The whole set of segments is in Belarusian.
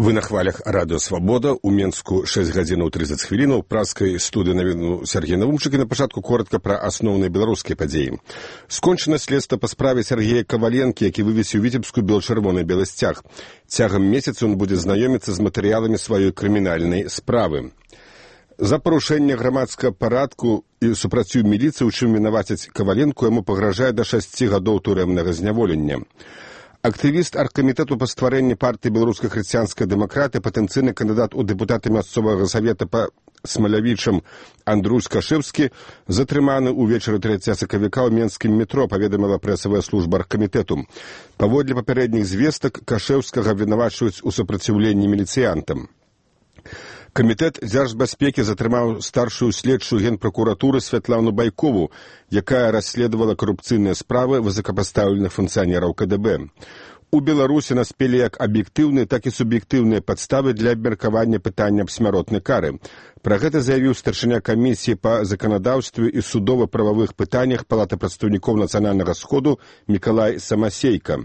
Вы на хвалях радыё «Свабода». У Менску 6 гадзінаў 30 хвілінаў. Праскай студыі навіну Сергей Навумчык. І на пачатку коротка пра асноўныя беларускія падзеі. Скончана следства па справе Сергея Каваленкі, які вывесіў віцебскую бел-чырвоны белы сцяг. Цягам месяца ён будзе знаёміцца з матэрыяламі сваёй крымінальнай справы. За парушэнне грамадскага парадку і супрацью міліцыі, у чым вінавацяць Каваленку, яму пагражае да 6 гадоў турэмнага зняволення. Актывіст аргкамітэту па стварэнні партыі беларускай хрысціянскай дэмакраты, патэнцыйны кандыдат у дэпутаты мясцовага савета па Смалявічам Андрей Скашэўскі затрыманы ўвечары 3 сакавіка ў менскім метро, паведаміла прэсавая служба аргкамітэту. Паводле папярэдніх звестак Кашэўскага абвінавачваюць у супраціўленні міліцыянтам. Камітэт дзяржбяспекі затрымаў старшую следчую генпракуратуры Святлану Байкову, якая расследавала карупцыйныя справы высокапастаўленых функцыянераў КДБ. У Беларусі наспелі як аб'ектыўныя, так і суб'ектыўныя падставы для абмеркавання пытання аб смяротнай кары. Пра гэта заявіў старшыня камісіі па заканадаўстве і судова-прававых пытаннях Палаты прадстаўнікоў нацыянальнага сходу Мікалай Самасейка.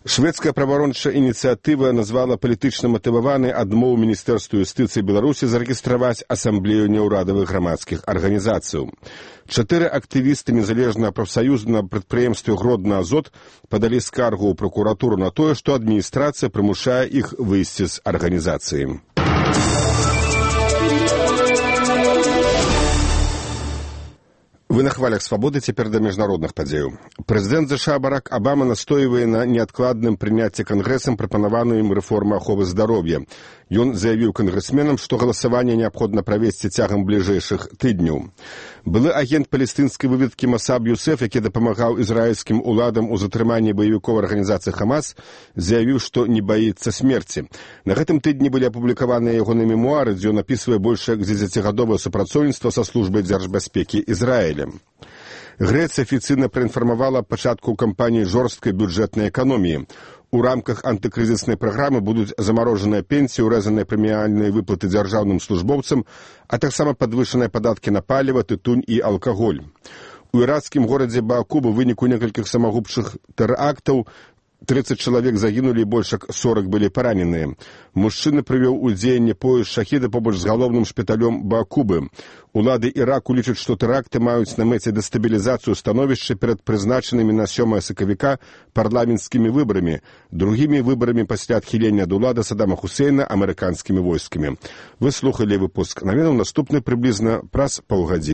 Шведская праваабарончая ініцыятыва назвала палітычна матываванай адмову Міністэрству юстыцыі Беларусі зарэгістраваць асамблею няўрадавых грамадскіх арганізацыяў. 4 актывісты незалежнага прафсаюза на прадпрыемстве «Гродна Азот» падалі скаргу ў пракуратуру на тое, што адміністрацыя прымушае іх выйсці з арганізацыі. Вы на хвалях «Свабоды», цяпер да міжнародных падзеяў. Прэзідэнт ЗША Барак Абама настойвае на неадкладным прыняцці кангрэсам прапанаваную ім рэформы аховы здароўя. Ён заявіў кангрэсменам, што галасаванне неабходна правесці цягам бліжэйшых тыдняў. Былы агент палестынскай выведкі Масаб Юсеф, які дапамагаў ізраільскім уладам у затрыманні баевікоў арганізацыі Хамас, заявіў, што не баіцца смерці. На гэтым тыдні былі апублікаваныя ягоныя мемуары, дзе ён апісвае больш як 10гадовае супрацоўніцтва са службай дзяржбяспекі Ізраіля. Грэцыя афіцыйна праінфармавала аб пачатку кампаніі жорсткай бюджэтнай эканоміі. У рамках антыкрызіснай праграмы будуць замарожаныя пенсіі, урэзаныя прэміяльныя выплаты дзяржаўным службоўцам, а таксама падвышаныя падаткі на паліва, тытунь і алкаголь. У іракскім горадзе Баакубу ў выніку некалькіх самагубчых тэрактаў 30 чалавек загінулі і больш як 40 былі параненыя. Мужчына прывёў у дзеянне пояс шахіда побач з галоўным шпіталём Баакубы. Улады Іраку лічаць, што тэракты маюць на мэце дэстабілізацыю становішча перад прызначанымі на 7 сакавіка парламенцкімі выбарамі, другімі выбарамі пасля адхілення ад улады Саддама Хусейна амерыканскімі войскамі. Вы слухалі выпуск навінаў, наступны прыблізна праз паўгадзіны.